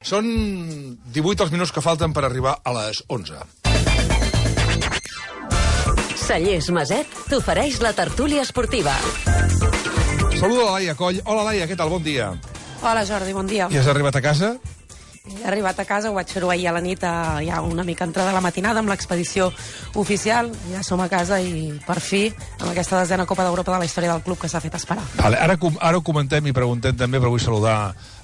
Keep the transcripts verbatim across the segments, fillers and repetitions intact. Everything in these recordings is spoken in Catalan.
Són divuit els minuts que falten per arribar a les onze. Cellers Maset t'ofereix la tertúlia esportiva. Saludo a la Laia Coll. Hola, Laia, què tal? Bon dia. Hola, Jordi, bon dia. I has arribat a casa? He arribat a casa, ho vaig fer-ho ahir a la nit, a, ja una mica entrada a la matinada amb l'expedició oficial. Ja som a casa i, per fi, amb aquesta desena Copa d'Europa de la història del club que s'ha fet esperar. Vale, ara, ara ho comentem i preguntem també, però vull saludar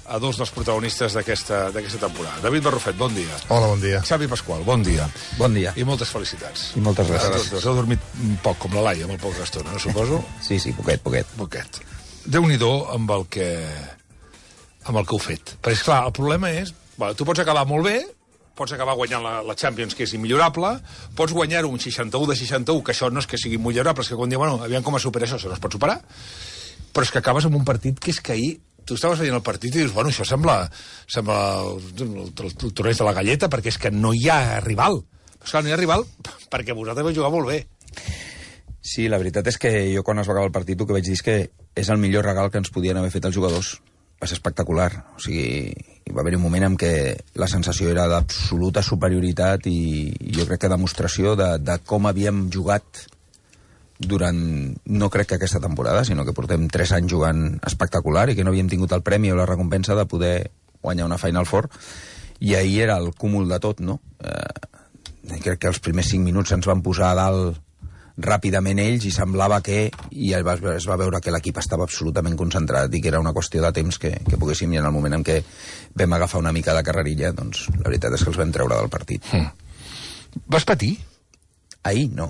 a dos dels protagonistes d'aquesta temporada. David Barrufet, bon dia. Hola, bon dia. Xavi Pasqual, bon dia. Bon dia. I moltes felicitats. I moltes gràcies. Dos, heu dormit un poc, com la Laia, molt poca estona, no suposo? Sí, sí, poquet, poquet. Poquet. Déu-n'hi-do amb el que amb el que heu fet. Perquè, esclar, el problema és... Bueno, tu pots acabar molt bé, pots acabar guanyant la, la Champions, que és immillorable, pots guanyar-ho un seixanta-u de seixanta-u, que això no és que sigui millorable, és que quan diuen, bueno, aviam com es supera això, això no es pot superar, però és que acabes amb un partit que és que ahir tu estaves veient el partit i dius, bueno, això sembla, sembla el, el, el, el torneig de la galleta, perquè és que no hi ha rival. Però esclar, no hi ha rival perquè vosaltres vau jugar molt bé. Sí, la veritat és que jo quan es va acabar el partit el que vaig dir és que és el millor regal que ens podien haver fet els jugadors. Va ser espectacular. O sigui, hi va haver un moment en què la sensació era d'absoluta superioritat i jo crec que demostració de, de com havíem jugat durant, no crec que aquesta temporada, sinó que portem tres anys jugant espectacular i que no havíem tingut el premi o la recompensa de poder guanyar una Final Four. I ahir era el cúmul de tot, no? Eh, crec que els primers cinc minuts ens van posar a dalt ràpidament ells i semblava que i es va, es va veure que l'equip estava absolutament concentrat i que era una qüestió de temps que, que poguéssim, i en el moment en què vam agafar una mica de carrerilla, doncs la veritat és que els vam treure del partit. Mm. Vas patir? Ahir no.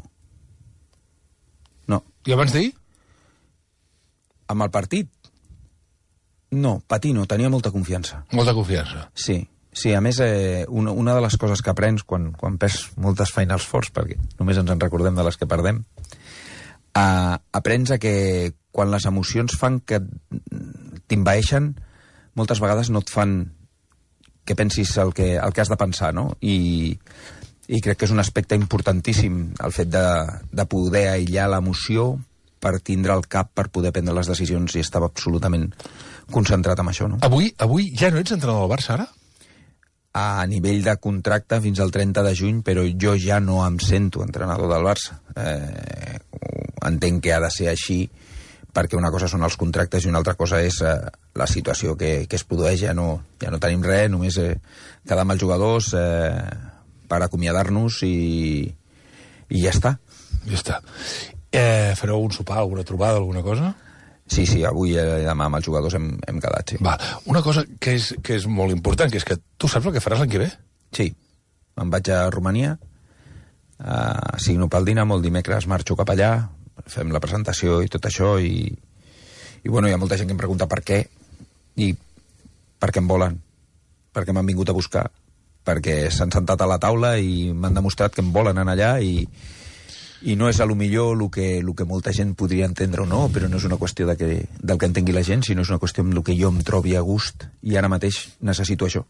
No. I abans d'ahir? Amb el partit? No, patir no, tenia molta confiança. Molta confiança. Sí. Sí, a més, eh, una, una de les coses que aprens quan, quan perds moltes Finals Fours, perquè només ens en recordem de les que perdem, eh, aprens a que quan les emocions fan que t'invaeixen, moltes vegades no et fan que pensis el que, el que has de pensar, no? I, i crec que és un aspecte importantíssim el fet de, de poder aïllar l'emoció per tindre el cap per poder prendre les decisions, i estava absolutament concentrat en això, no? Avui, avui ja no ets entrenador del Barça, ara? A nivell de contracte fins al trenta de juny, però jo ja no em sento entrenador del Barça. Eh, entenc que ha de ser així, perquè una cosa són els contractes i una altra cosa és eh, la situació que, que es produeix. Ja no, ja no tenim res, només eh, quedar amb els jugadors eh, per acomiadar-nos i, i ja està. Ja està. Eh, fareu un sopar, alguna trobada, alguna cosa? Sí, sí, avui i demà amb els jugadors hem, hem quedat, sí. Va, una cosa que és, que és molt important, que és que tu saps el que faràs l'any que ve? Sí, me'n vaig a Romania, uh, signo pel Dinamo, el dimecres marxo cap allà, fem la presentació i tot això, i, i bueno, hi ha molta gent que em pregunta per què, i per què em volen, perquè m'han vingut a buscar, perquè s'han sentat a la taula i m'han demostrat que em volen anar allà, i i no és a lo millor el que, el que molta gent podria entendre o no, però no és una qüestió de que, del que entengui la gent, sinó és una qüestió amb el que jo em trobi a gust, i ara mateix necessito això.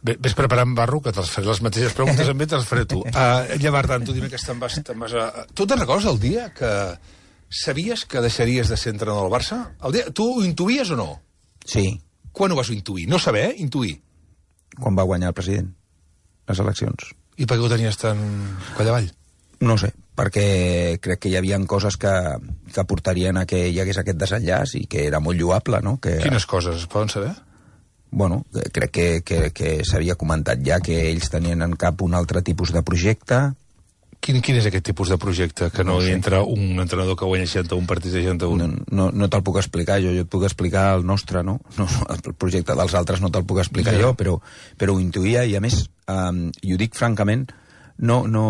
Bé, ves preparant, Barro, que te'ls faré les mateixes preguntes amb mi, te'ls faré tu. Uh, llavors, tant, tu dime que te'n vas, te'n vas a... Tu te'n recordes el dia que sabies que deixaries de ser entrenador del Barça? El dia... Tu ho intuïes o no? Sí. Quan ho vas intuir? No saber, eh? Intuir. Quan va guanyar el president les eleccions. I per què ho tenies tan coll avall? No sé, perquè crec que hi havia coses que, que portarien a que hi hagués aquest desenllaç i que era molt lloable, no? Que, Quines coses es poden saber? Bueno, crec que, que, que s'havia comentat ja que ells tenien en cap un altre tipus de projecte. Quin, quin és aquest tipus de projecte? Que no, no hi entra un entrenador que guanya seixanta-un partits de seixanta-un? No, no, no te'l puc explicar, jo, jo et puc explicar el nostre, no? no el projecte dels altres no te'l puc explicar sí. jo, però, però ho intuïa, i a més, um, i ho dic francament, no... no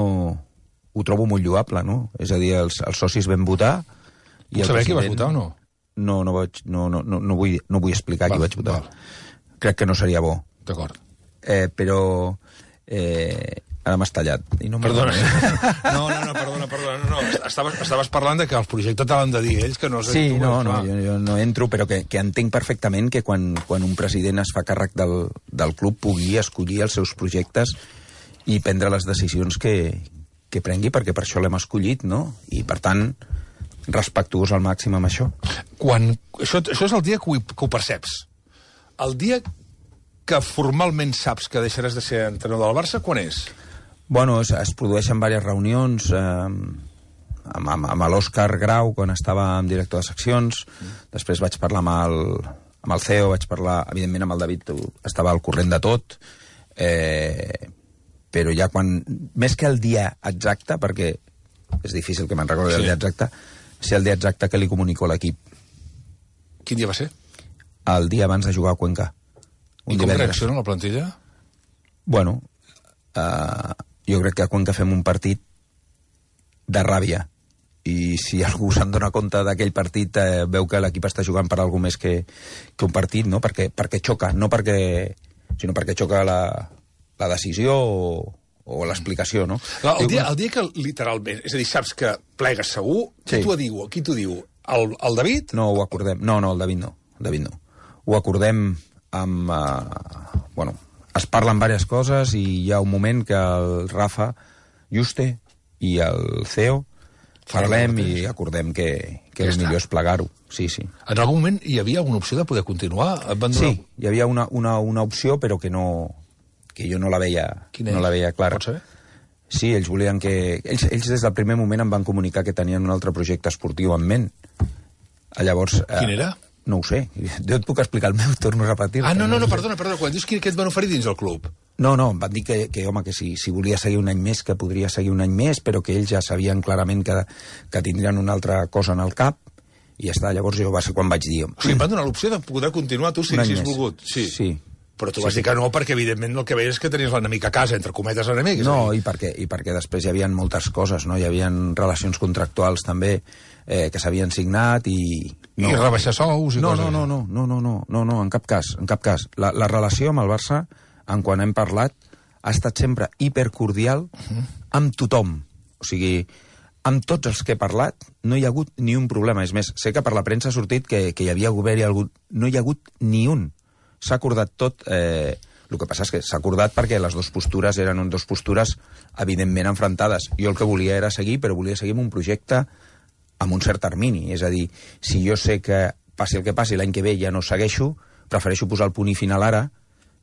ho trobo molt lloable, no? És a dir, els, els socis vam votar... Puc saber qui vas votar o no? No, no, vaig, no, no, no, no, vull, no vull explicar val, qui vaig votar. Val. Crec que no seria bo. D'acord. Eh, però... Eh, ara m'has tallat. I no perdona. No, no, no, perdona, perdona. No, no. Estaves, estaves parlant de que el projecte te l'han de dir ells, que no sé... Sí, tu, no, no, jo, jo no entro, però que, que entenc perfectament que quan, quan un president es fa càrrec del, del club pugui escollir els seus projectes i prendre les decisions que... que prengui, perquè per això l'hem escollit, no? I, per tant, respectuós al màxim amb això. Quan... Això, això és el dia que ho, que ho perceps. El dia que formalment saps que deixaràs de ser entrenador del Barça, quan és? Bueno, es, es produeixen diverses reunions... Eh, amb, amb, amb l'Òscar Grau, quan estava amb director de seccions, mm. després vaig parlar amb el, amb el C E O, vaig parlar, evidentment, amb el David, estava al corrent de tot, eh, però ja quan... Més que el dia exacte, perquè és difícil que me'n recordi sí. el dia exacte, ser el dia exacte que li comunico a l'equip. Quin dia va ser? El dia abans de jugar a Cuenca. I com reacciona la plantilla? Bueno, eh, jo crec que a Cuenca fem un partit de ràbia, i si algú se'n dona compte d'aquell partit eh, veu que l'equip està jugant per alguna més que, que un partit, no? perquè, perquè xoca, no perquè, sinó perquè xoca la, la decisió o, o l'explicació, no? El, el, dia, el dia que literalment, és a dir, saps que plegues segur, qui sí. t'ho diu? Qui t'ho diu? El, el David? No, ho acordem. No, no, el David no. El David no. Ho acordem amb... Uh, bueno, es parlen diverses coses i hi ha un moment que el Rafa Juste i el C E O parlem i acordem que, que el millor és plegar-ho. Sí, sí. En algun moment hi havia alguna opció de poder continuar? Sí, hi havia una, una, una opció, però que no que jo no la veia, no la veia clara. Pots saber? Sí, ells volien que... Ells, ells des del primer moment em van comunicar que tenien un altre projecte esportiu en ment. Llavors... Quin era? Eh, no ho sé. Jo et puc explicar el meu, torno a repetir. Ah, no, no, no, perdona, perdona. Quan dius que et van oferir dins el club? No, no, em van dir que, que home, que si, si volia seguir un any més, que podria seguir un any més, però que ells ja sabien clarament que, que tindrien una altra cosa en el cap, i ja està. Llavors jo va ser quan vaig dir... O sigui, em van donar l'opció de poder continuar tu si haguessis volgut. Sí. Sí. Però tu vas sí, dir que no, perquè evidentment el que veies és que tenies l'enemic a casa, entre cometes l'enemic. No, i perquè, i perquè després hi havia moltes coses, no? Hi havia relacions contractuals també eh, que s'havien signat i... No, I rebaixar sous i no, coses. No, no, no, no, no, no, no, no, en cap cas, en cap cas. La, la relació amb el Barça, en quan hem parlat, ha estat sempre hipercordial uh-huh. amb tothom. O sigui, amb tots els que he parlat no hi ha hagut ni un problema. És més, sé que per la premsa ha sortit que, que hi havia govern i algú... No hi ha hagut ni un. S'ha acordat tot... Eh, el que passa és que s'ha acordat perquè les dues postures eren dues postures evidentment enfrontades. Jo el que volia era seguir, però volia seguir amb un projecte amb un cert termini. És a dir, si jo sé que passi el que passi, l'any que ve ja no segueixo, prefereixo posar el punt i final ara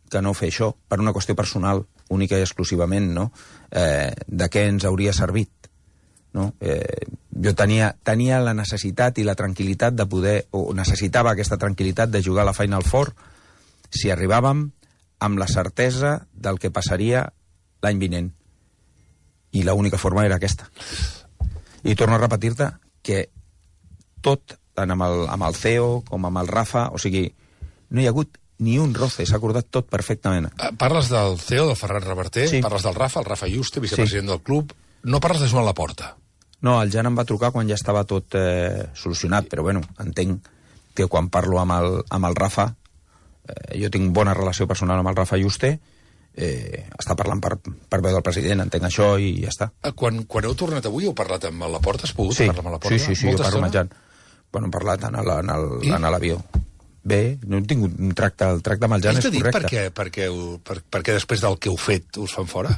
que no fer això, per una qüestió personal, única i exclusivament, no? Eh, de què ens hauria servit, no? Eh, jo tenia, tenia la necessitat i la tranquil·litat de poder, o necessitava aquesta tranquil·litat de jugar a la Final Four si arribàvem amb la certesa del que passaria l'any vinent. I l'única forma era aquesta. I torno a repetir-te que tot, tant amb el, amb el C E O com amb el Rafa, o sigui, no hi ha hagut ni un roce, s'ha acordat tot perfectament. Parles del C E O, del Ferran Reverter, sí. Parles del Rafa, el Rafa Juste, vicepresident sí. del club, no parles de Joan Laporta. No, el Jan em va trucar quan ja estava tot eh, solucionat, però bueno, entenc que quan parlo amb el, amb el Rafa, eh, jo tinc bona relació personal amb el Rafa Juste, eh, està parlant per, per veu del president, entenc això i ja està. Quan, quan heu tornat avui heu parlat amb la Porta? Has pogut sí, parlar amb la Porta? Sí, sí, sí, jo parlo amb el Jan. Bueno, hem parlat en, el, en, el, en l'avió. Bé, no he tingut un tracte, el tracte amb el Jan és correcte. Per què, per, què, per, per què després del que heu fet us fan fora?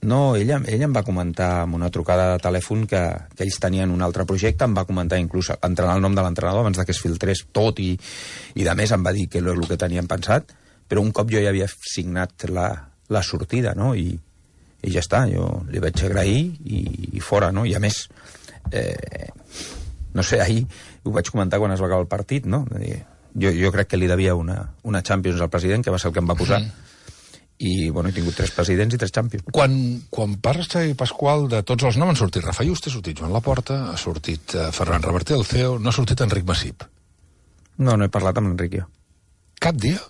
No, ella, ella em va comentar amb una trucada de telèfon que, que ells tenien un altre projecte, em va comentar inclús entrenar el nom de l'entrenador abans de que es filtrés tot i, i de més em va dir que era el que tenien pensat, però un cop jo ja havia signat la, la sortida, no? I, i ja està, jo li vaig agrair i, i fora, no? I a més, eh, no sé, ahir ho vaig comentar quan es va acabar el partit, no? Jo, jo crec que li devia una, una Champions al president, que va ser el que em va posar, mm. i bueno, he tingut tres presidents i tres Champions. Quan, quan parles, Xavi Pasqual, de tots els noms, han sortit Rafa Juste, ha sortit Joan Laporta, ha sortit uh, Ferran Reverter, el C E O, no ha sortit Enric Massip. No, no he parlat amb l'Enric jo. Cap dia?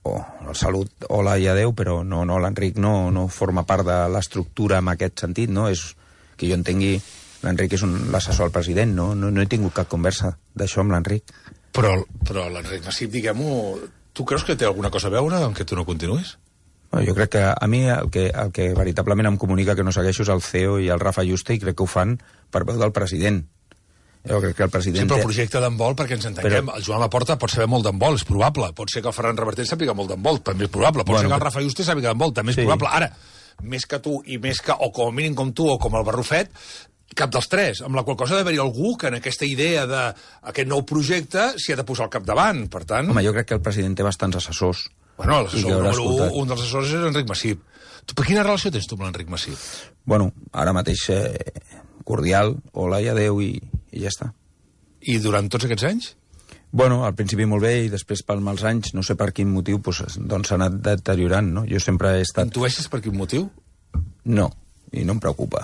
Oh, salut, hola i adeu, però no, no, l'Enric no, no forma part de l'estructura en aquest sentit, no? És que jo entengui, l'Enric és un, l'assessor al president, no? No, no he tingut cap conversa d'això amb l'Enric. Però, però l'Enric Massip, diguem-ho, tu creus que té alguna cosa a veure amb que tu no continuïs? No, jo crec que a mi el que, el que veritablement em comunica que no segueixo és el C E O i el Rafa Juste, i crec que ho fan per veu del president. Jo crec que el president... Sí, però el projecte d'handbol, perquè ens entenguem, però... el Joan Laporta pot saber molt d'handbol, és probable. Pot ser que el Ferran Reverter sàpiga molt d'handbol, també és probable. Pot bueno, ser que el Rafa Juste sàpiga d'handbol, també és sí. probable. Ara, més que tu i més que, o com a mínim com tu o com el Barrufet, cap dels tres, amb la qual cosa ha d'haver-hi algú que en aquesta idea d'aquest nou projecte s'hi ha de posar al capdavant, per tant... Home, jo crec que el president té bastants assessors Bueno, l'assessor número un, un dels assessors és Enric Massip. Tu, per quina relació tens tu amb l'Enric Massip? Bueno, ara mateix eh, cordial, hola i adeu i, i ja està. I durant tots aquests anys? Bueno, al principi molt bé i després per mals anys, no sé per quin motiu, doncs, doncs s'ha anat deteriorant, no? Jo sempre he estat... Intueixes per quin motiu? No, i no em preocupa.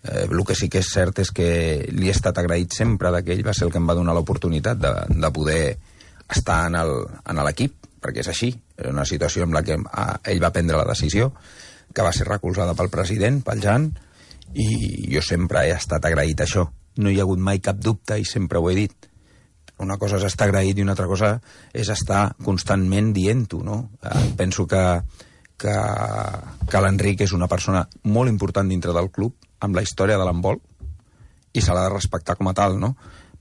Eh, el que sí que és cert és que li he estat agraït sempre d'aquell, va ser el que em va donar l'oportunitat de, de poder estar en l'equip, perquè és així. Era una situació en la que ell va prendre la decisió, que va ser recolzada pel president, pel Jan, i jo sempre he estat agraït a això. No hi ha hagut mai cap dubte i sempre ho he dit. Una cosa és estar agraït i una altra cosa és estar constantment dient-ho, no? Eh, penso que, que, que l'Enric és una persona molt important dintre del club, amb la història de l'handbol, i se l'ha de respectar com a tal, no?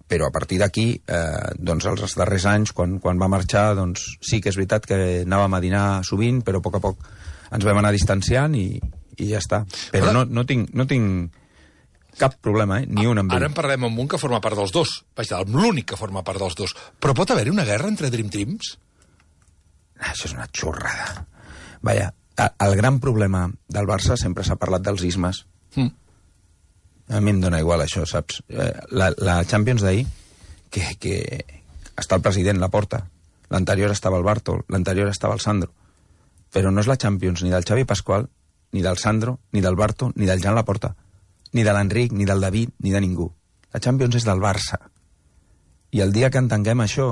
Però a partir d'aquí, eh, doncs els darrers anys, quan, quan va marxar, doncs sí que és veritat que anàvem a dinar sovint, però a poc a poc ens vam anar distanciant i, i ja està. Però no, no tinc... No tinc cap problema, eh? Ni un amb ell. Ara en parlem amb un que forma part dels dos. Vaja, l'únic que forma part dels dos. Però pot haver-hi una guerra entre Dream Teams? Ah, això és una xorrada. Vaja, el gran problema del Barça sempre s'ha parlat dels ismes. Mm. A mi em dóna igual això, saps? La, la Champions d'ahir, que, que està el president, la porta. L'anterior estava el Bartol, l'anterior estava el Sandro. Però no és la Champions ni del Xavi Pasqual, ni del Sandro, ni del Barto, ni del Jan Laporta. Ni de l'Enric, ni del David, ni de ningú. La Champions és del Barça. I el dia que entenguem això,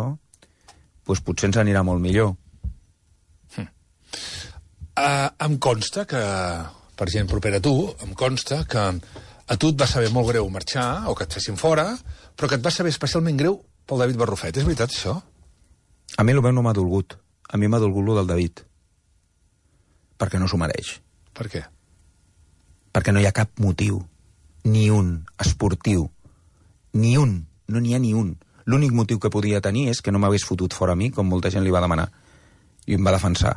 doncs potser ens anirà molt millor. Hm. Uh, em consta que, per gent propera a tu, em consta que a tu et va saber molt greu marxar, o que et fessin fora, però que et va saber especialment greu pel David Barrufet. És veritat, això? A mi el meu no m'ha dolgut. A mi m'ha dolgut lo del David. Perquè no s'ho mereix. Per què? Perquè no hi ha cap motiu. Ni un, esportiu. Ni un, no n'hi ha ni un. L'únic motiu que podia tenir és que no m'hagués fotut fora a mi, com molta gent li va demanar. I em va defensar.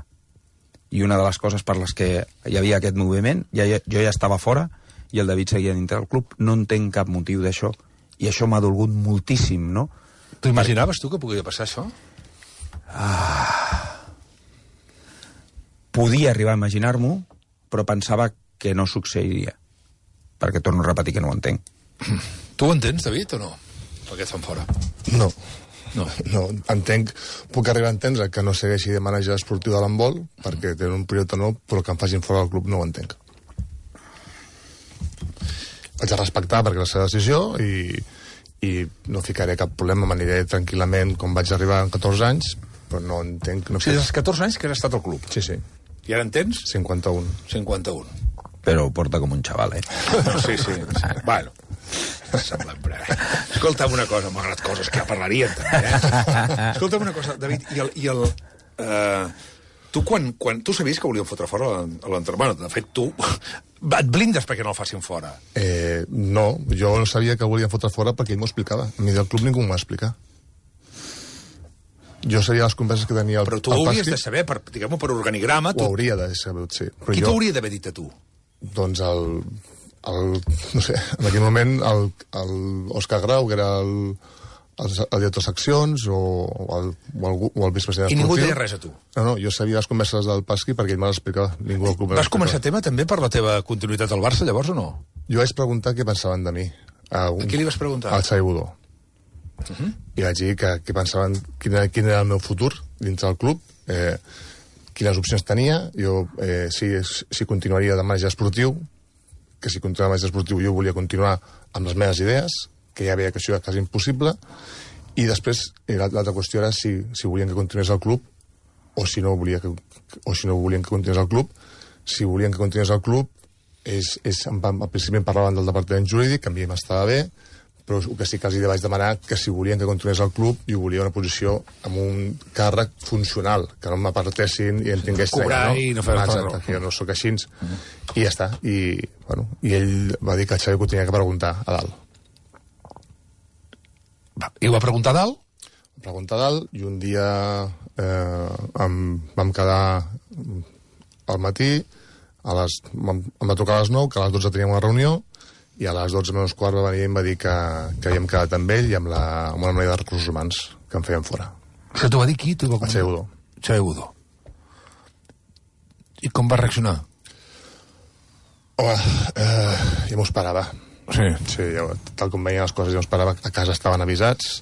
I una de les coses per les que hi havia aquest moviment, ja, jo ja estava fora, i el David seguia dintre del club, no entenc cap motiu d'això. I això m'ha dolgut moltíssim, no? T'ho imaginaves tu que podia passar això? Ah... Podia arribar a imaginar-m'ho, però pensava que no succeiria. Perquè torno a repetir que no ho entenc. Tu ho entens, David, o no? Per què et fan fora? No. No. No, entenc, puc arribar a entendre que no segueixi de manager esportiu de l'handbol, perquè té un projecte nou, però que em facin fora del club no ho entenc. Vaig a respectar perquè és la seva decisió i, i no ficaré cap problema, m'aniré tranquil·lament com vaig arribar amb catorze anys, però no entenc... No o sigui, dels catorze anys que has estat al club. Sí, sí. I ara en tens? cinquanta-un. cinquanta-un. Però ho porta com un xaval, eh? Sí, sí. sí. Bueno, semblant, però... Escolta'm una cosa, malgrat coses que ja parlarien, també, eh? Escolta'm una cosa, David, i el... I el uh, tu, quan, quan... Tu sabies que volien fotre fora l'entrenador? De fet, tu et blindes perquè no el facin fora. Eh, no, jo no sabia que volien fotre fora perquè ell m'ho explicava. A mi del club ningú m'ho va explicar. Jo sabia les converses que tenia el Però tu ho hauries de saber, per, diguem-ho, per organigrama... Ho hauria de saber, sí. Però Qui jo... t'ho hauria d'haver dit a tu? Doncs el, el... No sé, en aquell moment el, el Òscar Grau, que era el, el, el director de seccions, o, o, el, o, el, o el vicepresident esportiu. I ningú deia res a tu? No, no, jo sabia les converses del Pasqui perquè ell me les explicava. Ningú al club. Vas començar tema també per la teva continuïtat al Barça, llavors, o no? Jo vaig preguntar què pensaven de mi. A, un, a qui li vas preguntar? Al Xavi Budó. Uh -huh. I vaig dir que, que pensaven quin era, quin era el meu futur dins del club, eh, quines opcions tenia, jo eh, si, si continuaria de manager esportiu, que si continuava de manager esportiu jo volia continuar amb les meves idees, que ja veia que això era quasi impossible, i després l'altra qüestió era si, si volien que continués al club o si no volia que, o si no volien que continués al club. Si volien que continués al club, és, és, al principi em parlaven del departament jurídic, que a mi m'estava bé, però el que sí que els hi vaig demanar que si volien que continués al club, jo volia una posició amb un càrrec funcional, que no m'apartessin i em tingués... Cobrar i no fer el Exacte, que jo no sóc així. Uh-huh. I ja està. I, bueno, I ell va dir que el Xavi ho tenia que preguntar a dalt. Va, I ho va preguntar a dalt? Em preguntar a dalt, i un dia eh, em, vam quedar al matí, a les, em, em va trucar a les nou, que a les dotze teníem una reunió, i a les dotze menys quart va venir i em va dir que, que havíem quedat amb ell i amb, la, amb una manera de recursos humans que em feien fora. Això t'ho va dir qui? El Xavi Budó. Xavi Budó. I com va reaccionar? Home, eh, ja m'ho esperava. Sí. Sí, ja, tal com veien les coses, ja m'ho esperava. A casa estaven avisats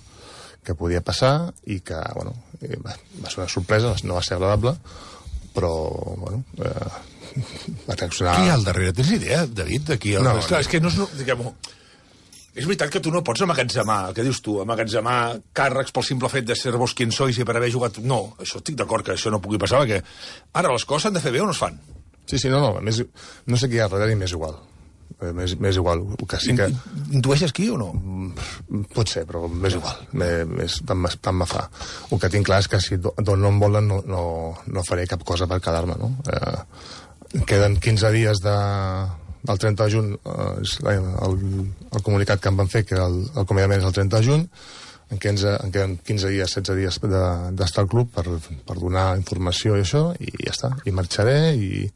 que podia passar i que, bueno, va, va ser una sorpresa, no va ser agradable, però, bueno, eh, va reaccionar... Qui hi ha al darrere? Tens idea, David, d'aquí? El... No, és, clar, és que no és... No, diguem-ho, és veritat que tu no pots amagatzemar, el que dius tu, amagatzemar càrrecs pel simple fet de ser vos quien sois i per haver jugat... No, això estic d'acord que això no pugui passar, perquè ara les coses s'han de fer bé o no es fan? Sí, sí, no, no, més, no sé qui hi ha darrere i m'és igual. Eh, M'és m'és igual, que sí que... Intueixes qui o no? Pot ser, però m'és igual. Més, tant, me- tant me fa. El que tinc clar és que si do- d'on no em volen no, no, no faré cap cosa per quedar-me, no? Eh, queden quinze dies de, del trenta de juny, eh, és la- el, el comunicat que em van fer, que el, el acomiadament és el trenta de juny, en què ens, en queden quinze dies, setze dies de- d'estar al club per, per donar informació i això, i ja està. I marxaré i,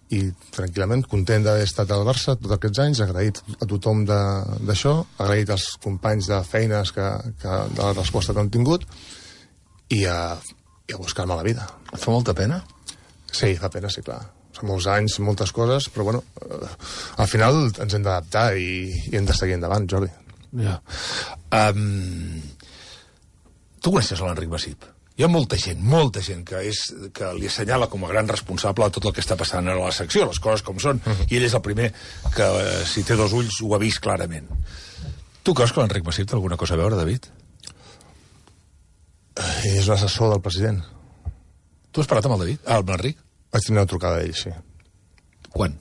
i tranquil·lament, content d'haver estat al Barça tots aquests anys, agraït a tothom de- d'això, agraït als companys de feines que, que, de la resposta que han tingut, i a, i a buscar-me la vida. Et fa molta pena? Sí, fa pena, sí, clar. Són molts anys, moltes coses, però bueno, eh, al final ens hem d'adaptar i, i hem de seguir endavant, Jordi. Ja. Um, tu coneixes l'Enric Masip? Hi ha molta gent, molta gent que, és, que li assenyala com a gran responsable de tot el que està passant a la secció, les coses com són, uh -huh. i ell és el primer que, eh, si té dos ulls, ho ha vist clarament. Tu creus que l'Enric Masip té alguna cosa a veure, David? Eh, és un assessor del president. Tu has parlat amb el David? Ah, amb l'Enric? Vaig tenir una trucada d'ell, sí. Quan?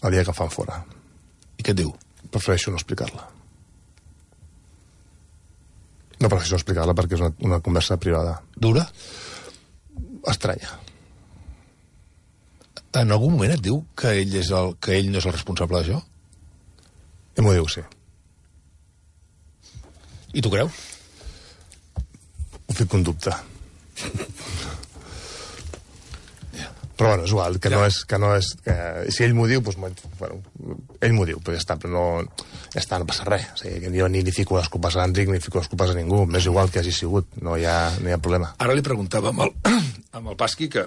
El dia que el fan fora. I què et diu? Prefereixo no explicar-la. No prefereixo no explicar-la perquè és una, una conversa privada. Dura? Estranya. En algun moment et diu que ell, és el, que ell no és el responsable d'això? I m'ho diu, sí. I tu creus? Ho fico en dubte. Però bueno, és igual, que Ja. no és... Que no és que, si ell m'ho diu, doncs, bueno, ell m'ho diu, però ja està, però no, ja està, no passa res. O sigui, que jo ni li fico les culpes a l'Enric, ni fico les culpes a ningú, m'és igual que hagi sigut, no hi ha, no hi ha problema. Ara li preguntava amb el, amb el Pasqui que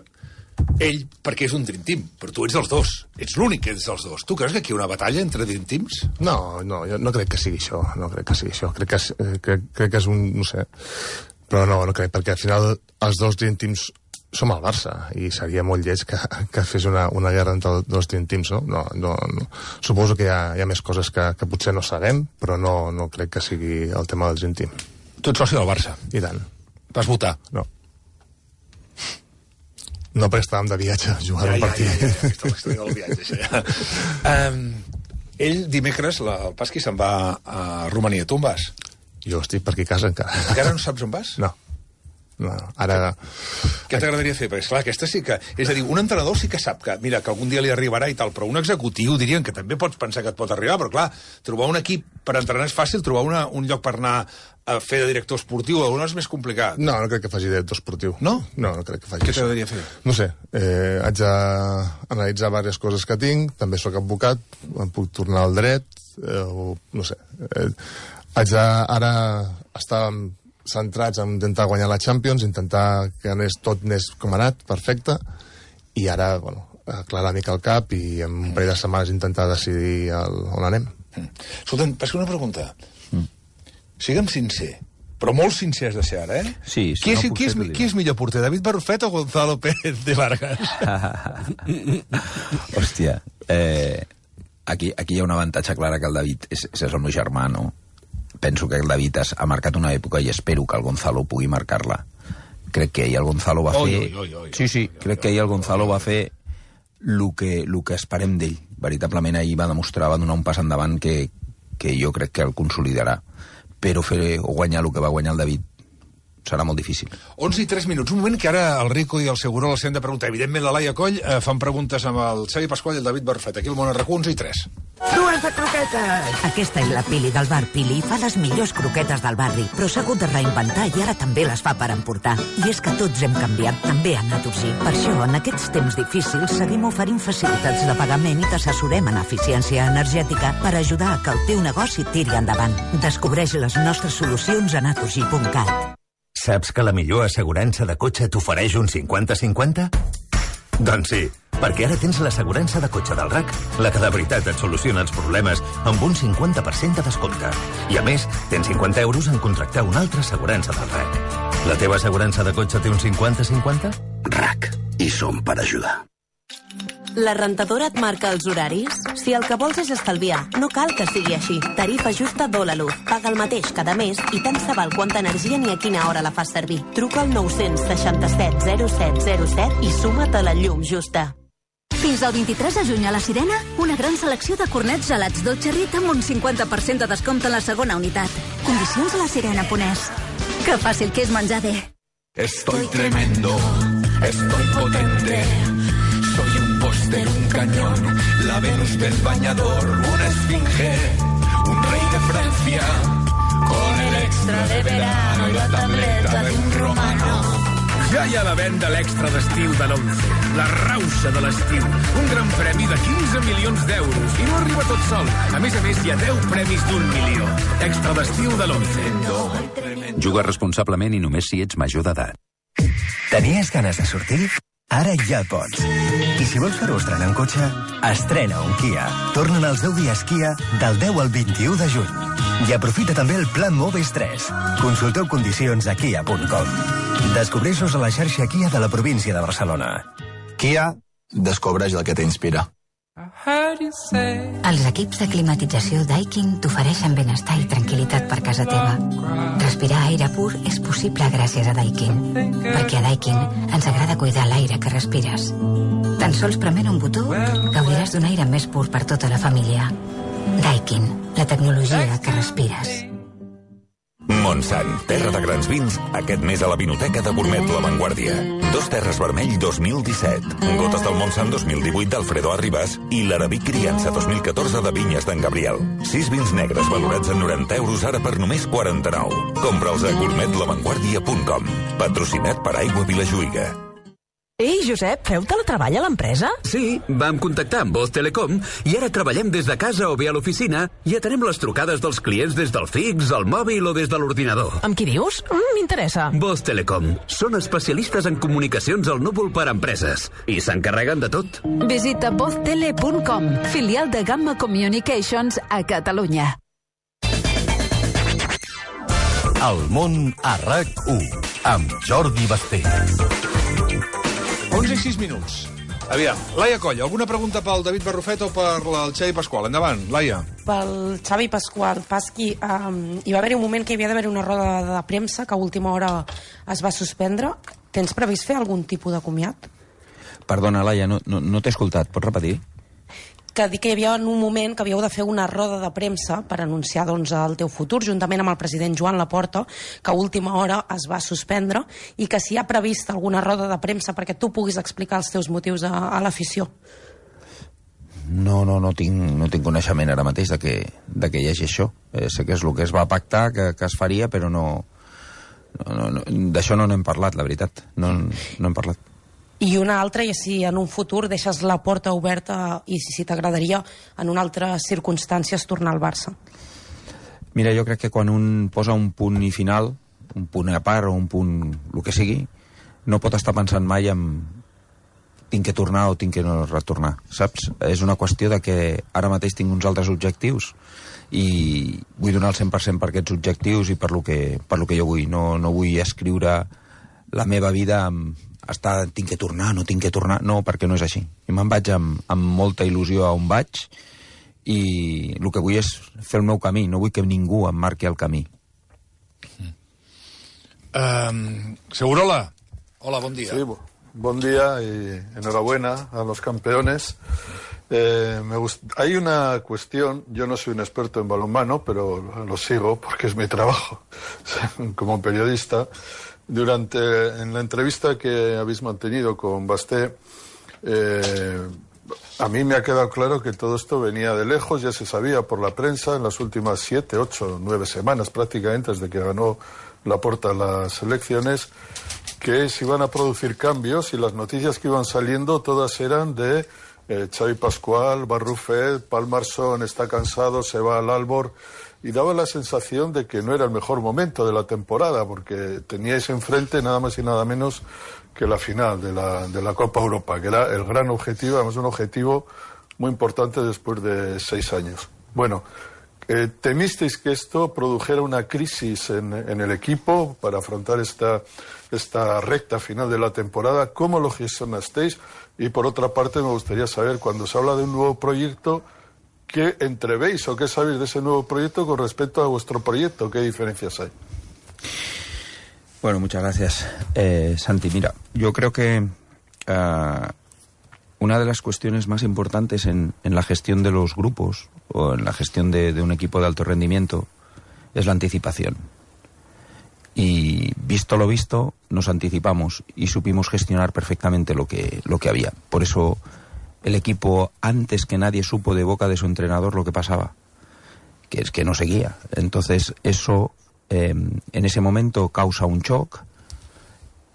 ell, perquè és un Dream Team, però tu ets dels dos, ets l'únic que ets dels dos. Tu creus que aquí hi ha una batalla entre Dream Teams? No, no, jo no crec que sigui això, no crec que sigui això. Crec que, és- eh, crec, crec que és un, no sé, però no, no crec, perquè al final els dos Dream Teams som al Barça, i seria molt lleig que, que fes una, una guerra entre dos Dream Teams, no? No, no, no. Suposo que hi ha, hi ha més coses que, que potser no sabem, però no, no crec que sigui el tema del Dream Team. Tu ets soci del Barça. I tant, Vas votar. no. No, perquè estàvem de viatge jugant un partit. Ja, ja, ja, ja, ja, del viatge, això, ja. um, ell dimecres, la, el Pasqui, se'n va a Romania. Tu on vas? Jo estic per aquí a casa encara. Encara no saps on vas? No. No, ara... Què t'agradaria fer? Perquè, esclar, aquesta sí que... És a dir, un entrenador sí que sap que, mira, que algun dia li arribarà i tal, però un executiu dirien que també pots pensar que et pot arribar, però, clar, trobar un equip per entrenar és fàcil, trobar una, un lloc per anar a fer de director esportiu o és més complicat. No, no crec que faci director esportiu. No? No, no crec que faci Què això. t'agradaria fer? No sé, eh, haig d'analitzar diverses coses que tinc, també sóc advocat, em puc tornar al dret, eh, o no sé. Eh, haig de, ara estar centrats en intentar guanyar la Champions, intentar que anés tot anés com ha anat, perfecte, i ara, bueno, aclarar una mica el cap i en un parell de setmanes intentar decidir el, on anem. Mm. Escolta'm, Pasqui, una pregunta. Mm. Sigue'm sincer, però molt sincer has de ser ara, eh? Sí, si qui, no és, puc qui, és, ser, t'ho diré. qui és millor porter, David Barrufet o Gonzalo Pérez de Vargas? Hòstia, eh, aquí, aquí hi ha un avantatge clara que el David és, és el meu germà, no? Penso que el David has, ha marcat una època i espero que el Gonzalo pugui marcar-la. Crec que ell el Gonzalo va Oi, fer... oi, oi, oi, sí, sí, oi, crec oi, que ell el oi, Gonzalo oi, va fer el que, el que esperem d'ell. Veritablement ahir va demostrar, va donar un pas endavant que, que jo crec que el consolidarà. Però fer o guanyar el que va guanyar el David serà molt difícil. onze i tres minuts. Un moment que ara el Rico i el Seguró els hem de preguntar. Evidentment, la Laia Coll eh, fan preguntes amb el Xavi Pasqual i el David Barrufet. Aquí al Món R Q, onze i tres. Dues de croquetes! Aquesta és la Pili del bar Pili. Fa les millors croquetes del barri, però s'ha hagut de reinventar i ara també les fa per emportar. I és que tots hem canviat, també a Naturgy. Per això, en aquests temps difícils, seguim oferint facilitats de pagament i t'assessorem en eficiència energètica per ajudar a que el teu negoci tiri endavant. Descobreix les nostres solucions a naturgy punt cat. Saps que la millor assegurança de cotxe t'ofereix un cinquanta cinquanta? Doncs sí, perquè ara tens l'assegurança de cotxe del R A C, la que de veritat et soluciona els problemes amb un cinquanta per cent de descompte. I a més, tens cinquanta euros en contractar una altra assegurança del R A C. La teva assegurança de cotxe té un cinquanta cinquanta? R A C. I som per ajudar. La rentadora et marca els horaris? Si el que vols és estalviar, no cal que sigui així. Tarifa justa d'Holaluz. Paga el mateix cada mes i tant se val quanta energia ni a quina hora la fas servir. Truca al nou seixanta-set zero set zero set i suma't a la llum justa. Fins al vint-i-tres de juny a La Sirena, una gran selecció de cornets gelats Dolce Rita amb un cinquanta per cent de descompte en la segona unitat. Condicions a la sirena punt es. Que fàcil que és menjar bé. Estoy tremendo, estoy potente. Soy un póster, un cañón, la Venus del bañador, una esfinge, un rey de Francia, con el extra de verano y la tableta de un romano. Ja hi ha la venda l'extra d'estiu de l'Once, la rauxa de l'estiu, un gran premi de quinze milions d'euros, i no arriba tot sol. A més a més, hi ha deu premis d'un milió. Extra d'estiu de l'Once. Juga responsablement i només si ets major d'edat. Tenies ganes de sortir? Ara ja pots. I si vols fer-ho estrenant cotxe, estrena un Kia. Tornen els deu dies Kia del deu al vint-i-u de juny. I aprofita també el Plan Moves tres. Consulteu condicions a kia punt com. Descobreixos a la xarxa Kia de la província de Barcelona. Kia, descobreix el que t'inspira. Els equips de climatització Daikin t'ofereixen benestar i tranquil·litat per casa teva. Respirar aire pur és possible gràcies a Daikin, perquè a Daikin ens agrada cuidar l'aire que respires. Tan sols prement un botó gaudiràs d'un aire més pur per tota la família. Daikin, la tecnologia que respires. Montsant, terra de grans vins, aquest mes a la Vinoteca de Gourmet La Vanguardia. Dos Terres Vermell dos mil disset, Gotes del Montsant dos mil divuit d'Alfredo Arribas i l'Arabic Criança dos mil catorze de Vinyes d'en Gabriel. Sis vins negres valorats en noranta euros ara per només quaranta-nou. Compra'ls a gourmet la vanguardia punt com. Patrocinat per Aigua Vilajuïga. Ei, Josep, feu teletreball a l'empresa? Sí, vam contactar amb Voz Telecom i ara treballem des de casa o bé a l'oficina i atenem les trucades dels clients des del fix, el mòbil o des de l'ordinador. Amb qui dius? Mm, m'interessa. Voz Telecom. Són especialistes en comunicacions al núvol per a empreses i s'encarreguen de tot. Visita voz tele punt com, filial de Gamma Communications a Catalunya. El món a RAC u, amb Jordi Basté. onze i sis minuts. Aviam, Laia Colla, alguna pregunta pel David Barrufet o per el Xavi Pasqual? Endavant, Laia. Pel Xavi Pasqual, Pasqui, um, hi va haver un moment que hi havia d'haver una roda de premsa que a última hora es va suspendre. Tens previst fer algun tipus de comiat? Perdona, Laia, no, no, no t'he escoltat. Pots repetir? Que dic que hi havia en un moment que havíeu de fer una roda de premsa per anunciar doncs, el teu futur, juntament amb el president Joan Laporta, que a última hora es va suspendre, i que si hi ha previst alguna roda de premsa perquè tu puguis explicar els teus motius a, a l'afició. No, no, no tinc, no tinc coneixement ara mateix de que, de que hi hagi això. Eh, sé que és el que es va pactar, que, que es faria, però no... no, no, no d'això no n'hem parlat, la veritat. No, no hem parlat. I una altra, i si en un futur deixes la porta oberta i si t'agradaria en una altra circumstàncies tornar al Barça. Mira, jo crec que quan un posa un punt i final, un punt a part o un punt, el que sigui, no pot estar pensant mai en tinc que tornar o tinc que no retornar, saps? És una qüestió de que ara mateix tinc uns altres objectius i vull donar el cent per cent per aquests objectius i per lo que, per lo que jo vull. No, no vull escriure la meva vida amb estar, tinc que tornar, no tinc que tornar, no, perquè no és així. I me'n vaig amb, amb molta il·lusió a on vaig i el que vull és fer el meu camí, no vull que ningú em marqui el camí. Um, Segurola, hola, bon dia. Sí, bon día y enhorabuena a los campeones. Eh, me gust... Hay una cuestión, yo no soy un experto en balonmano, pero lo sigo porque es mi trabajo como periodista. Durante en la entrevista que habéis mantenido con Basté, eh, a mí me ha quedado claro que todo esto venía de lejos, ya se sabía por la prensa en las últimas siete, ocho, nueve semanas prácticamente desde que ganó Laporta las elecciones, que se iban a producir cambios y las noticias que iban saliendo todas eran de eh, Xavi Pasqual, Barrufet, Palmarsón está cansado, se va al Albor. Y daba la sensación de que no era el mejor momento de la temporada, porque teníais enfrente nada más y nada menos que la final de la, de la Copa Europa, que era el gran objetivo, además un objetivo muy importante después de seis años. Bueno, eh, ¿temisteis que esto produjera una crisis en, en el equipo para afrontar esta, esta recta final de la temporada? ¿Cómo lo gestionasteis? Y por otra parte me gustaría saber, cuando se habla de un nuevo proyecto, ¿qué entrevéis o qué sabéis de ese nuevo proyecto con respecto a vuestro proyecto? ¿Qué diferencias hay? Bueno, muchas gracias, eh, Santi. Mira, yo creo que uh, una de las cuestiones más importantes en, en la gestión de los grupos o en la gestión de, de un equipo de alto rendimiento es la anticipación. Y visto lo visto, nos anticipamos y supimos gestionar perfectamente lo que, lo que había. Por eso el equipo, antes que nadie, supo de boca de su entrenador lo que pasaba, que es que no seguía. Entonces eso eh, en ese momento causa un shock,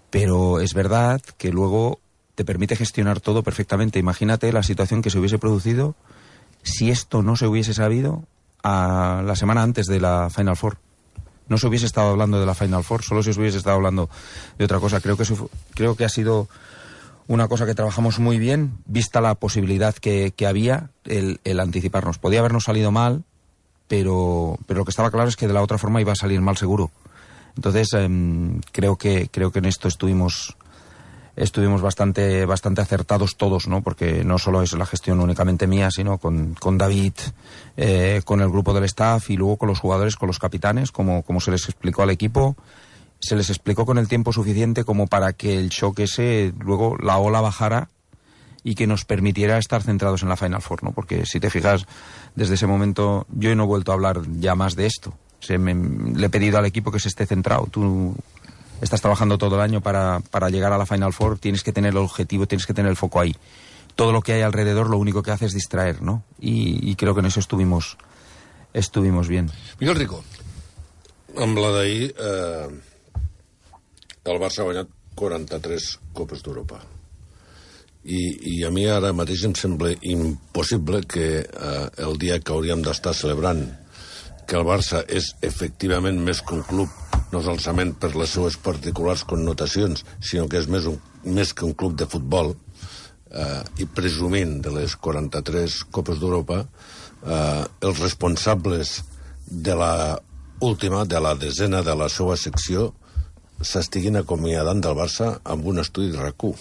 pero es verdad que luego te permite gestionar todo perfectamente. Imagínate la situación que se hubiese producido si esto no se hubiese sabido a la semana antes de la Final Four. No se hubiese estado hablando de la Final Four, solo se hubiese estado hablando de otra cosa. Creo que eso, creo que ha sido una cosa que trabajamos muy bien, vista la posibilidad que, que había, el, el anticiparnos. Podía habernos salido mal, pero, pero lo que estaba claro es que de la otra forma iba a salir mal seguro. Entonces, eh, creo que creo que en esto estuvimos estuvimos bastante bastante acertados todos, ¿no? Porque no solo es la gestión únicamente mía, sino con, con David, eh, con el grupo del staff y luego con los jugadores, con los capitanes, como, como se les explicó al equipo. Se les explicó con el tiempo suficiente como para que el shock ese, luego la ola bajara y que nos permitiera estar centrados en la Final Four, ¿no? Porque si te fijas, desde ese momento yo no he vuelto a hablar ya más de esto. Se me, le he pedido al equipo que se esté centrado. Tú estás trabajando todo el año para, para llegar a la Final Four, tienes que tener el objetivo, tienes que tener el foco ahí. Todo lo que hay alrededor lo único que hace es distraer, ¿no? Y, y creo que en eso estuvimos, estuvimos bien. Miguel Rico. Amb la d'ahir, eh, el Barça ha guanyat quaranta-tres Copes d'Europa. I, I a mi ara mateix em sembla impossible que eh, el dia que hauríem d'estar celebrant que el Barça és efectivament més que un club, no solament per les seues particulars connotacions, sinó que és més, un, més que un club de futbol, eh, i presumint de les quaranta-tres Copes d'Europa, eh, els responsables de la última, de la desena de la seva secció, s'estiguin acomiadant del Barça amb un estudi de RAC u.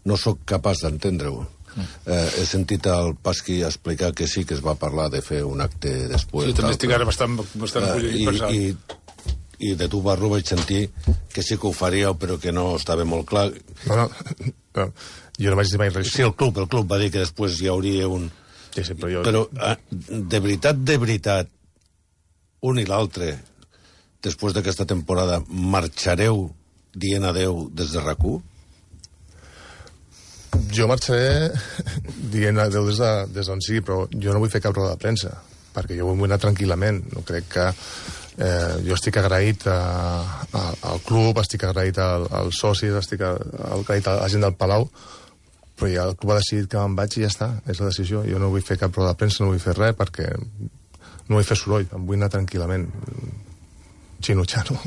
No sóc capaç d'entendre-ho. Eh, he sentit al Pasqui explicar que sí que es va parlar de fer un acte després. Sí, també estic ara bastant, bastant eh, i, i, i de tu, Barro, vaig sentir que sí que ho faríeu, però que no estava molt clar. No, no, no jo no vaig dir mai res. Sí, el club, el club va dir que després hi hauria un... Sí, sí, però jo... Però, eh, de veritat, de veritat, un i l'altre, després d'aquesta temporada, marxareu dient adeu des de RAC u? Jo marxaré dient adeu des d'on de, sigui, però jo no vull fer cap roda de premsa, perquè jo vull anar tranquil·lament. No crec que... Eh, jo estic agraït a, a, al club, estic agraït al, als socis, estic agraït a la gent del Palau, però ja el club ha decidit que me'n vaig i ja està, és la decisió. Jo no vull fer cap roda de premsa, no vull fer res, perquè no vull fer soroll, em vull anar tranquil·lament. Xino-xano.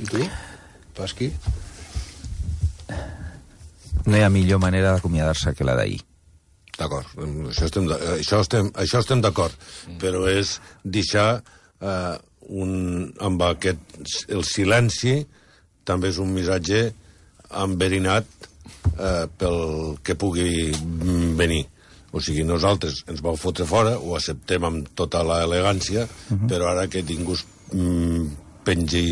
I tu, Pasqui? No hi ha millor manera d'acomiadar-se que la d'ahir. D'acord, això estem, això estem, això estem d'acord, mm. però és deixar eh, un, amb aquest, el silenci també és un missatge enverinat eh, pel que pugui venir. O sigui, nosaltres ens vau fotre fora, ho acceptem amb tota l'elegància, uh-huh. però ara que ningú mm, pengi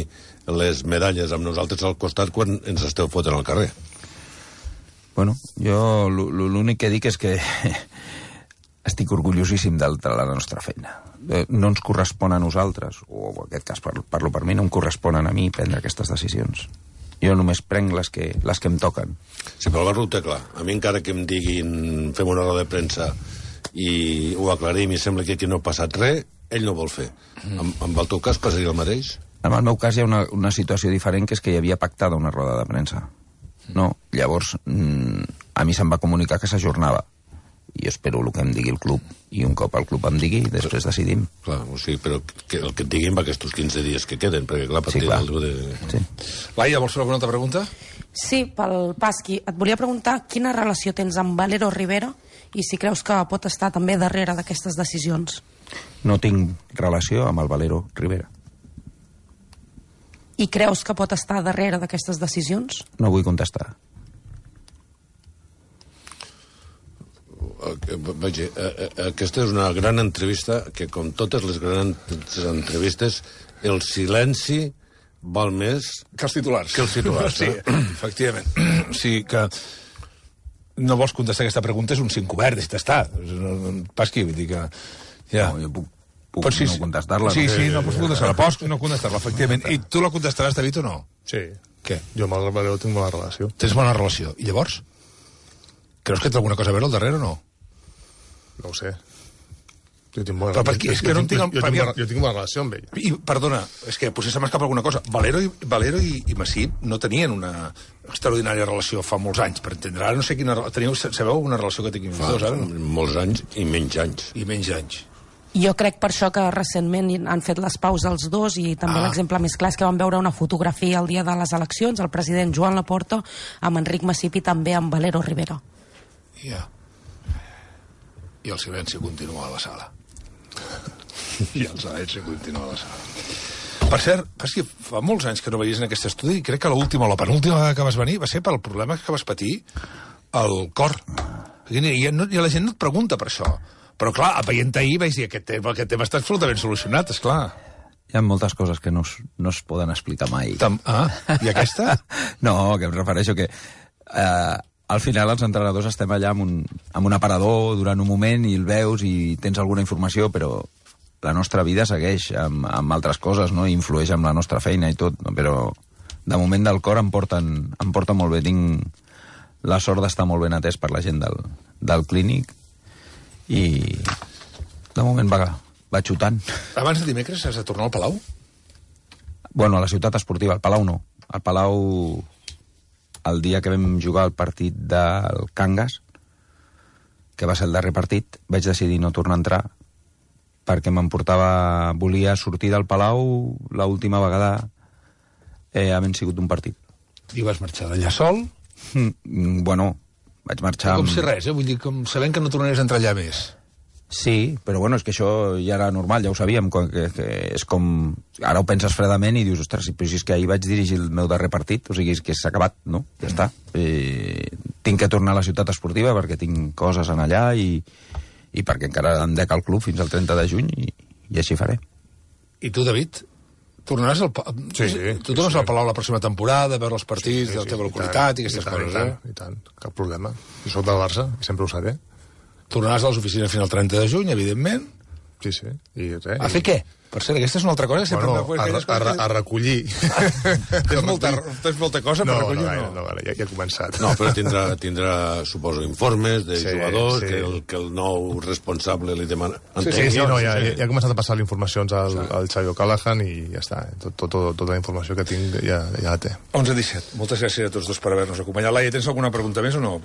les medalles amb nosaltres al costat quan ens esteu fotent al carrer. Bueno, jo l'únic que dic és que estic orgullosíssim de la nostra feina. No ens correspon a nosaltres, o en aquest cas parlo per mi, no em corresponen a mi prendre aquestes decisions. Jo només prenc les que, les que em toquen. Sí, però el Barro ho té clar. A mi encara que em diguin fem una roda de premsa i ho aclarim i sembla que aquí no ha passat res, ell no vol fer. Mm. En, en el teu cas passaria el mateix? En el meu cas hi ha una, una situació diferent, que és que hi havia pactada una roda de premsa. No, llavors mm, a mi se'm va comunicar que s'ajornava jo espero el que em digui el club, i un cop el club em digui, després decidim. Clar, o sigui, però que, el que et diguin va aquests quinze dies que queden, perquè clar, a partir Sí, clar. del... De... Sí. Laia, vols fer alguna altra pregunta? Sí, pel Pasqui. Et volia preguntar quina relació tens amb Valero Rivera i si creus que pot estar també darrere d'aquestes decisions. No tinc relació amb el Valero Rivera. I creus que pot estar darrere d'aquestes decisions? No vull contestar. Vaja, aquesta és una gran entrevista que, com totes les grans entrevistes, el silenci val més que els titulars. Que els titulars, sí, eh? efectivament. O sigui que no vols contestar aquesta pregunta, és un cinc obert, i t'està. Pasqui, vull dir que... Ja. No, jo puc, puc Pots, sí, no contestar-la. Sí, no? sí, no pots contestar-la. Pots no contestar-la, efectivament. I tu la contestaràs, David, o no? Sí. Què? Jo amb el Valero tinc bona relació. Tens bona relació. I llavors? Creus que té alguna cosa a veure al darrere o no? No ho sé. Jo tinc bona, Però per què? És que jo, no tinc, entenc... jo, tinc, bona, jo tinc bona relació amb ell. I, perdona, és que potser se m'escapa alguna cosa. Valero i, Valero i, i Massip no tenien una extraordinària relació fa molts anys, per entendre. Ara no sé quina... Teniu, sabeu alguna relació que tinguin Fa dos, ara? No? molts anys i menys anys. I menys anys. Jo crec per això que recentment han fet les paus els dos i també Ah. l'exemple més clar és que van veure una fotografia el dia de les eleccions, el president Joan Laporta amb Enric Massip i també amb Valero Rivera. Ja. I el silenci continua a la sala. I el silenci continua a la sala. Per cert, és que fa molts anys que no veies en aquest estudi i crec que l'última o la penúltima vegada que vas venir va ser pel problema que vas patir al cor. I, i, no, i la gent no et pregunta per això. Però, clar, veient ahir vaig dir aquest tema, aquest tema està absolutament solucionat, esclar. Hi ha moltes coses que no es, no es poden explicar mai. Tam ah, i aquesta? No, que em refereixo que eh, al final els entrenadors estem allà amb un, amb un aparador durant un moment i el veus i tens alguna informació, però la nostra vida segueix amb, amb altres coses, no? I influeix amb la nostra feina i tot, no? Però de moment del cor em porten, em porten molt bé. Tinc la sort d'estar molt ben atès per la gent del, del clínic i de moment va, va xutant. Abans de dimecres has de tornar al Palau? Bueno, a la ciutat esportiva, al Palau no. Al Palau, el dia que vam jugar el partit del Cangas, que va ser el darrer partit, vaig decidir no tornar a entrar perquè m'emportava... Volia sortir del Palau l'última vegada eh, havent sigut un partit. I vas marxar d'allà sol? Mm, bueno, vaig marxar... Com amb... si res, eh? Vull dir, com sabent que no tornaries a entrar allà més. Sí, però bueno, és que això ja era normal, ja ho sabíem, que, que és com... Ara ho penses fredament i dius, ostres, però si és que ahir vaig dirigir el meu darrer partit, o sigui, és que s'ha acabat, no? Ja està. Eh, tinc que tornar a la ciutat esportiva perquè tinc coses en allà i, i perquè encara em dec al club fins al trenta de juny i, i així faré. I tu, David? Tornaràs al... Sí, sí. Tu tornes sí. al Palau la pròxima temporada, a veure els partits, sí, sí, de la teva sí, localitat i, i aquestes tant, coses, i tant, eh? I tant, cap problema. I soc del Barça, i sempre ho seré. Tornaràs a les oficines fins al trenta de juny, evidentment. Sí, sí. I res, a fer i... què? Per cert, aquesta és una altra cosa. Sempre bueno, a, a, a, a recollir. tens, molta, tens molta cosa per no, recollir? No, no, no, ja, ja he començat. No, però tindrà, tindrà suposo, informes de sí, jugadors, sí. Que, el, que el nou responsable li demana... Sí, sí, sí, no, ja, ja, ja he començat a passar les informacions al, al Xavi O'Callaghan i ja està. Tot, tot, tot, tota la informació que tinc ja, ja la té. onze disset. Moltes gràcies a tots dos per haver-nos acompanyat. Laia, tens alguna pregunta més o no?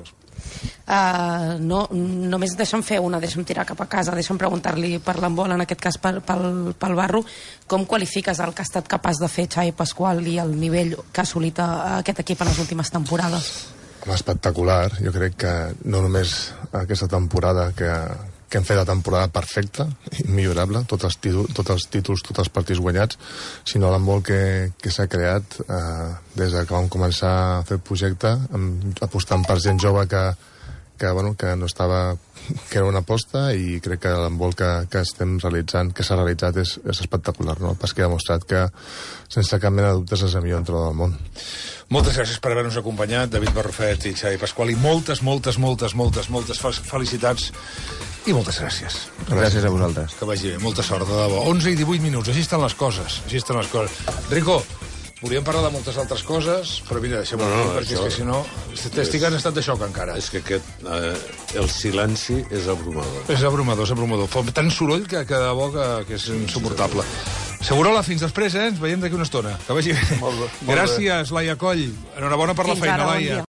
Uh, no, només deixa'm fer una, deixa'm tirar cap a casa, deixa'm preguntar-li per l'embol, en aquest cas pel, pel, pel Barro, com qualifiques el que ha estat capaç de fer Xavi Pasqual i el nivell que ha assolit a aquest equip en les últimes temporades? Espectacular. Jo crec que no només aquesta temporada que, que hem fet la temporada perfecta, immillorable, tots els títols, tots els, títols, tots els partits guanyats, sinó l'embol que, que s'ha creat eh, des de que vam començar a fer el projecte, amb, apostant per gent jove que, que, bueno, que no estava, que era una aposta, i crec que l'embol que, que estem realitzant, que s'ha realitzat és, és espectacular, no? Pas que ha demostrat que sense cap mena de dubtes és el millor entrenador del món. Moltes gràcies per haver-nos acompanyat, David Barrufet i Xavi Pasqual, i moltes, moltes, moltes, moltes, moltes felicitats i moltes gràcies. Gràcies a vosaltres. Que vagi bé, molta sort, de debò. onze i divuit minuts, així estan les coses, així estan les coses. Rico, volíem parlar de moltes altres coses, però mira, deixem-ho no, no, perquè això... és que si no... Estic en estat de xoc encara. És que aquest, eh, el silenci és abrumador. És abrumador, és abrumador. Fa tant soroll que, que de debò que, que és insuportable. Segurola, fins després, eh? Ens veiem d'aquí una estona. Que vagi bé. Molt bé, molt Gràcies, Laia Coll. Enhorabona per la Fins feina, ara, bon Laia. dia.